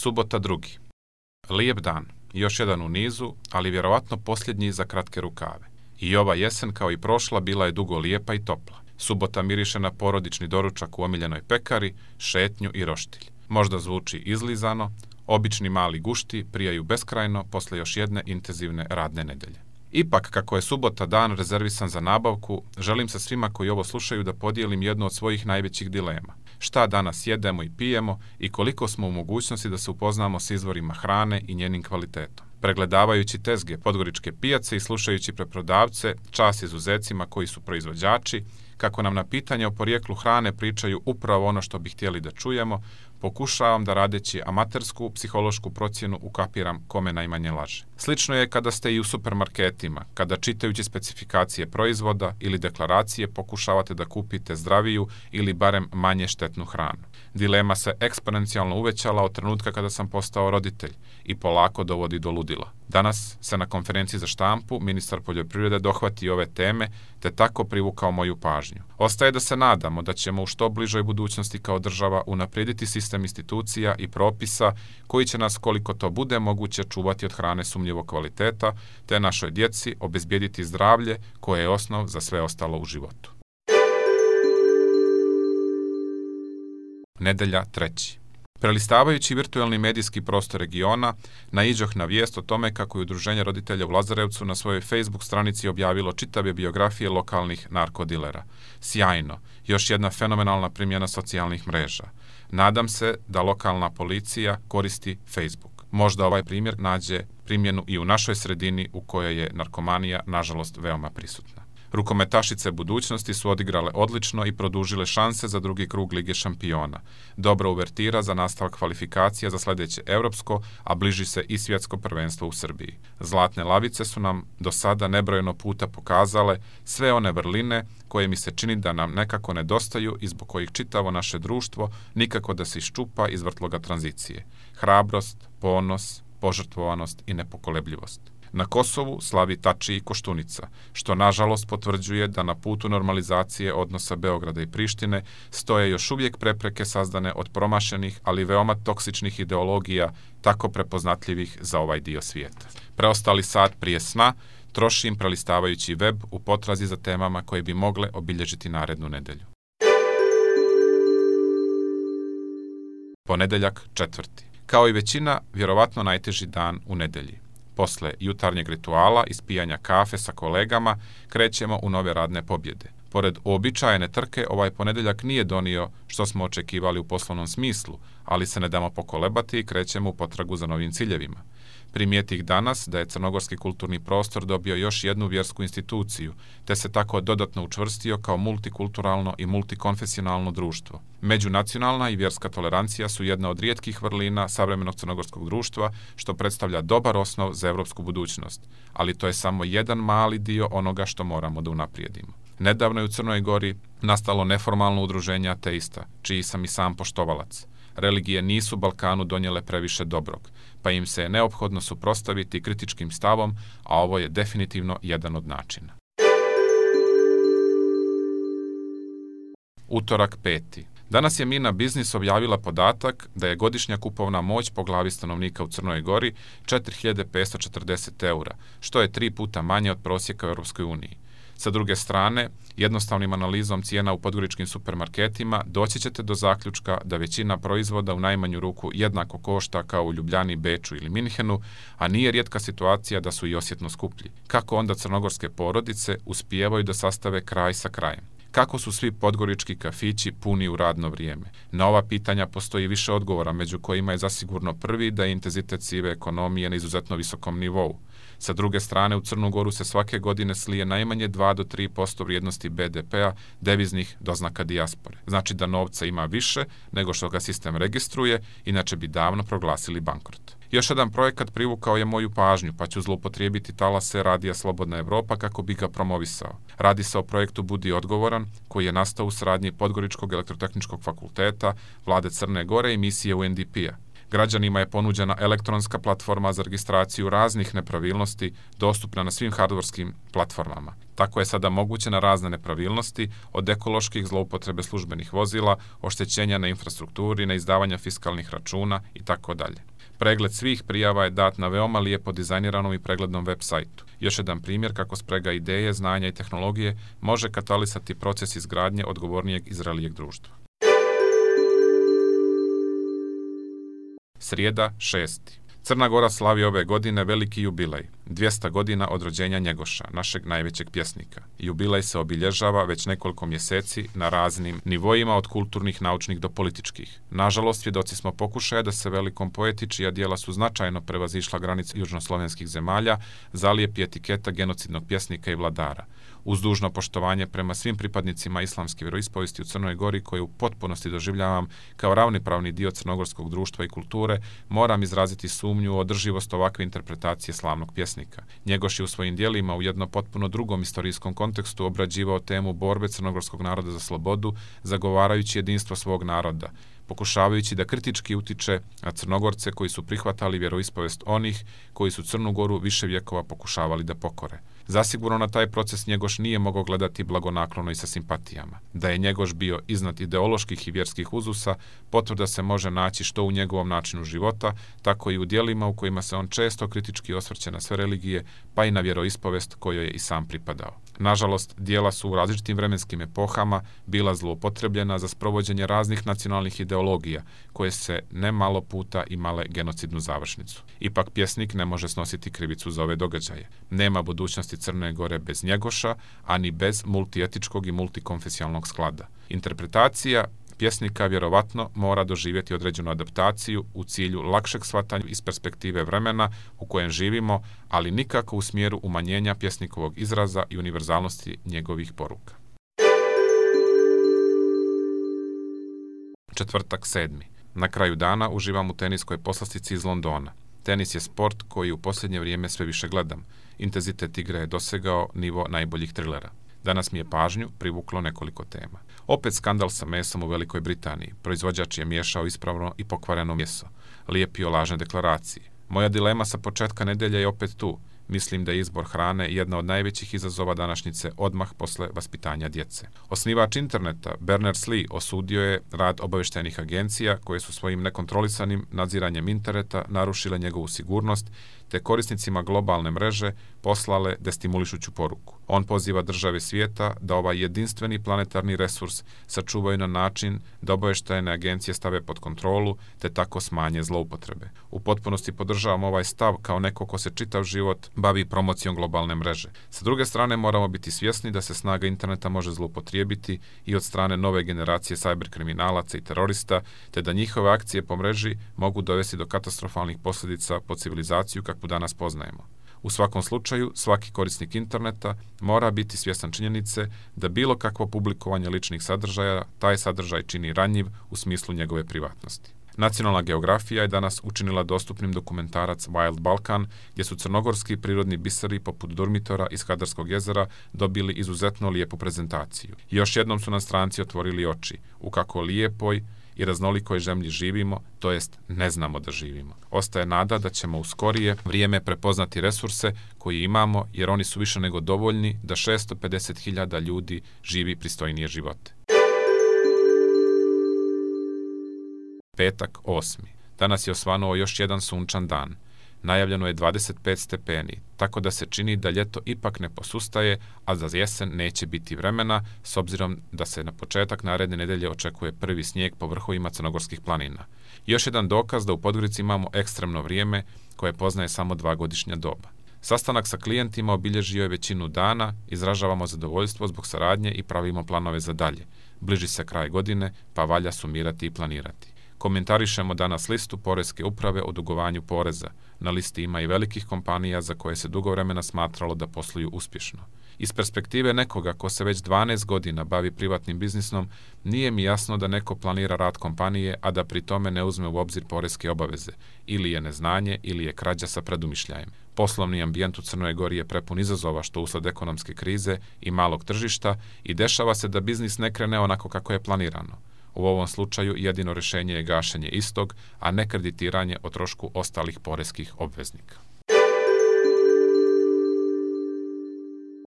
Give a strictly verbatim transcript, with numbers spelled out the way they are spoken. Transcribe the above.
Subota drugi. Lijep dan, još jedan u nizu, ali vjerovatno posljednji za kratke rukave. I ova jesen, kao i prošla, bila je dugo lijepa i topla. Subota miriše na porodični doručak u omiljenoj pekari, šetnju i roštilj. Možda zvuči izlizano, obični mali gušti prijaju beskrajno posle još jedne intenzivne radne nedelje. Ipak, kako je subota dan rezervisan za nabavku, želim sa svima koji ovo slušaju da podijelim jednu od svojih najvećih dilema. Šta danas jedemo i pijemo i koliko smo u mogućnosti da se upoznamo s izvorima hrane i njenim kvalitetom. Pregledavajući tezge podgoričke pijace i slušajući preprodavce, čast izuzecima koji su proizvođači, kako nam na pitanje o porijeklu hrane pričaju upravo ono što bi htjeli da čujemo, pokušavam da radeći amatersku psihološku procjenu ukapiram kome najmanje laže. Slično je kada ste i u supermarketima, kada čitajući specifikacije proizvoda ili deklaracije pokušavate da kupite zdraviju ili barem manje štetnu hranu. Dilema se eksponencijalno uvećala od trenutka kada sam postao roditelj i polako dovodi do ludila. Danas se na konferenciji za štampu ministar poljoprivrede dohvati ove teme te tako privukao moju pažnju. Ostaje da se nadamo da ćemo u što bližoj budućnosti kao država unaprijediti sistem institucija i propisa koji će nas, koliko to bude moguće, čuvati od hrane sumnjivog kvaliteta te našoj djeci obezbijediti zdravlje koje je osnov za sve ostalo u životu. Nedelja treći. Prelistavajući virtualni medijski prostor regiona, naiđoh na vijest o tome kako je Udruženje roditelja u Lazarevcu na svojoj Facebook stranici objavilo čitave biografije lokalnih narkodilera. Sjajno, još jedna fenomenalna primjena socijalnih mreža. Nadam se da lokalna policija koristi Facebook. Možda ovaj primjer nađe primjenu i u našoj sredini u kojoj je narkomanija, nažalost, veoma prisutna. Rukometašice budućnosti su odigrale odlično i produžile šanse za drugi krug Lige šampiona. Dobra uvertira za nastavak kvalifikacija za sljedeće europsko, a bliži se i svjetsko prvenstvo u Srbiji. Zlatne lavice su nam do sada nebrojeno puta pokazale sve one vrline koje mi se čini da nam nekako nedostaju i zbog kojih čitavo naše društvo nikako da se iščupa iz vrtloga tranzicije. Hrabrost, ponos, požrtvovanost i nepokolebljivost. Na Kosovu slavi Tači i Koštunica, što nažalost potvrđuje da na putu normalizacije odnosa Beograda i Prištine stoje još uvijek prepreke sazdane od promašenih, ali veoma toksičnih ideologija, tako prepoznatljivih za ovaj dio svijeta. Preostali sat prije sna trošim prelistavajući web u potrazi za temama koje bi mogle obilježiti narednu nedelju. Ponedeljak četvrti. Kao i većina, vjerovatno najteži dan u nedelji. Posle jutarnjeg rituala i spijanja kafe sa kolegama, krećemo u nove radne pobjede. Pored uobičajene trke, ovaj ponedeljak nije donio što smo očekivali u poslovnom smislu, ali se ne damo pokolebati i krećemo u potragu za novim ciljevima. Primijetih danas da je crnogorski kulturni prostor dobio još jednu vjersku instituciju, te se tako dodatno učvrstio kao multikulturalno i multikonfesionalno društvo. Međunacionalna i vjerska tolerancija su jedna od rijetkih vrlina savremenog crnogorskog društva, što predstavlja dobar osnov za evropsku budućnost, ali to je samo jedan mali dio onoga što moramo da unaprijedimo. Nedavno je u Crnoj Gori nastalo neformalno udruženje ateista, čiji sam i sam poštovalac. Religije nisu Balkanu donijele previše dobrog, pa im se je neophodno suprotstaviti kritičkim stavom, a ovo je definitivno jedan od načina. Utorak peti. Danas je Mina Biznis objavila podatak da je godišnja kupovna moć po glavi stanovnika u Crnoj Gori četiri hiljade petsto četrdeset eura, što je tri puta manje od prosjeka u Europskoj uniji. Sa druge strane, jednostavnim analizom cijena u podgoričkim supermarketima doći ćete do zaključka da većina proizvoda u najmanju ruku jednako košta kao u Ljubljani, Beču ili Minhenu, a nije rijetka situacija da su i osjetno skuplji. Kako onda crnogorske porodice uspijevaju da sastave kraj sa krajem? Kako su svi podgorički kafići puni u radno vrijeme? Na ova pitanja postoji više odgovora, među kojima je zasigurno prvi da je intenzitet sive ekonomije na izuzetno visokom nivou. Sa druge strane, u Crnu Goru se svake godine slije najmanje dva do tri posto vrijednosti be de pea deviznih doznaka dijaspore. Znači da novca ima više nego što ga sistem registruje, inače bi davno proglasili bankrot. Još jedan projekat privukao je moju pažnju, pa ću zloupotrijebiti talase Radija Slobodna Evropa kako bi ga promovisao. Radi se o projektu Budi odgovoran, koji je nastao u saradnji Podgoričkog elektrotehničkog fakulteta, Vlade Crne Gore i misije U N D P-a. Građanima je ponuđena elektronska platforma za registraciju raznih nepravilnosti dostupna na svim hardwarskim platformama. Tako je sada moguće na razne nepravilnosti, od ekoloških zloupotrebe službenih vozila, oštećenja na infrastrukturi, na izdavanja fiskalnih računa i tako dalje. Pregled svih prijava je dat na veoma lijepo dizajniranom i preglednom web sajtu. Još jedan primjer kako sprega ideje, znanja i tehnologije može katalisati proces izgradnje odgovornijeg i zrelijeg društva. Srijeda, šesti. Crna Gora slavi ove godine veliki jubilej, dvjesto godina od rođenja Njegoša, našeg najvećeg pjesnika. Jubilej se obilježava već nekoliko mjeseci na raznim nivoima od kulturnih, naučnih do političkih. Nažalost, svjedoci smo pokušaja da se velikom poeti, čija djela su značajno prevazišla granice južnoslovenskih zemalja, zalijepi etiketa genocidnog pjesnika i vladara. Uz dužno poštovanje prema svim pripadnicima islamske vjeroispovijesti u Crnoj Gori, koju u potpunosti doživljavam kao ravnopravni dio crnogorskog društva i kulture, moram izraziti sumnju u održivost ovakve interpretacije slavnog pjesnika. Njegoš je u svojim djelima u jedno potpuno drugom istorijskom kontekstu obrađivao temu borbe crnogorskog naroda za slobodu, zagovarajući jedinstvo svog naroda, pokušavajući da kritički utiče na Crnogorce koji su prihvatali vjeroispovijest onih koji su Crnu Goru više vjekova pokušavali da pokore. Zasigurno na taj proces Njegoš nije mogao gledati blagonaklono i sa simpatijama. Da je Njegoš bio iznad ideoloških i vjerskih uzusa, potvrda se može naći što u njegovom načinu života, tako i u djelima u kojima se on često kritički osvrće na sve religije, pa i na vjeroispovijest kojoj je i sam pripadao. Nažalost, djela su u različitim vremenskim epohama bila zloupotrebljena za sprovođenje raznih nacionalnih ideologija, koje se ne malo puta imale genocidnu završnicu. Ipak pjesnik ne može snositi krivicu za ove događaje. Nema budućnosti Crne Gore bez Njegoša, ani bez multietičkog i multikonfesionalnog sklada. Interpretacija pjesnika vjerovatno mora doživjeti određenu adaptaciju u cilju lakšeg shvatanja iz perspektive vremena u kojem živimo, ali nikako u smjeru umanjenja pjesnikovog izraza i univerzalnosti njegovih poruka. Četvrtak, sedmi. Na kraju dana uživam u teniskoj poslastici iz Londona. Tenis je sport koji u posljednje vrijeme sve više gledam. Intenzitet igre je dosegao nivo najboljih trilera. Danas mi je pažnju privuklo nekoliko tema. Opet skandal sa mesom u Velikoj Britaniji. Proizvođač je miješao ispravno i pokvareno meso. Lijepio lažne deklaracije. Moja dilema sa početka nedelje je opet tu. Mislim da je izbor hrane jedna od najvećih izazova današnjice odmah posle vaspitanja djece. Osnivač interneta Berners-Lee osudio je rad obavještajnih agencija koje su svojim nekontrolisanim nadziranjem interneta narušile njegovu sigurnost, te korisnicima globalne mreže poslale destimulišuću poruku. On poziva države svijeta da ovaj jedinstveni planetarni resurs sačuvaju na način da obavještajne agencije stave pod kontrolu, te tako smanje zloupotrebe. U potpunosti podržavam ovaj stav kao neko ko se čitav život bavi promocijom globalne mreže. Sa druge strane, moramo biti svjesni da se snaga interneta može zloupotrijebiti i od strane nove generacije cyberkriminalaca i terorista, te da njihove akcije po mreži mogu dovesti do katastrofalnih posljedica po civilizaciju kakvu danas poznajemo. U svakom slučaju, svaki korisnik interneta mora biti svjestan činjenice da bilo kakvo publikovanje ličnih sadržaja taj sadržaj čini ranjiv u smislu njegove privatnosti. Nacionalna geografija je danas učinila dostupnim dokumentarac Wild Balkan, gdje su crnogorski prirodni biseri poput Durmitora iz Kadarskog jezera dobili izuzetno lijepu prezentaciju. I još jednom su nam stranci otvorili oči u kako lijepoj i raznolikoj zemlji živimo, to jest ne znamo da živimo. Ostaje nada da ćemo u skorije vrijeme prepoznati resurse koji imamo, jer oni su više nego dovoljni da šesto pedeset hiljada ljudi živi pristojnije živote. Petak, osmi. Danas je osvanuo još jedan sunčan dan. Najavljeno je dvadeset pet stepeni, tako da se čini da ljeto ipak ne posustaje, a za jesen neće biti vremena, s obzirom da se na početak naredne nedelje očekuje prvi snijeg po vrhovima crnogorskih planina. Još jedan dokaz da u Podgorici imamo ekstremno vrijeme koje poznaje samo dva godišnja doba. Sastanak sa klijentima obilježio je većinu dana, izražavamo zadovoljstvo zbog saradnje i pravimo planove za dalje. Bliži se kraj godine, pa valja sumirati i planirati. Komentarišemo danas listu Poreske uprave o dugovanju poreza. Na listi ima i velikih kompanija za koje se dugo vremena smatralo da posluju uspješno. Iz perspektive nekoga ko se već dvanaest godina bavi privatnim biznisom, nije mi jasno da neko planira rad kompanije, a da pri tome ne uzme u obzir poreske obaveze. Ili je neznanje, ili je krađa sa predumišljajem. Poslovni ambijent u Crnoj Gori je prepun izazova što usled ekonomske krize i malog tržišta i dešava se da biznis ne krene onako kako je planirano. U ovom slučaju jedino rješenje je gašenje istog, a ne kreditiranje o trošku ostalih poreskih obveznika.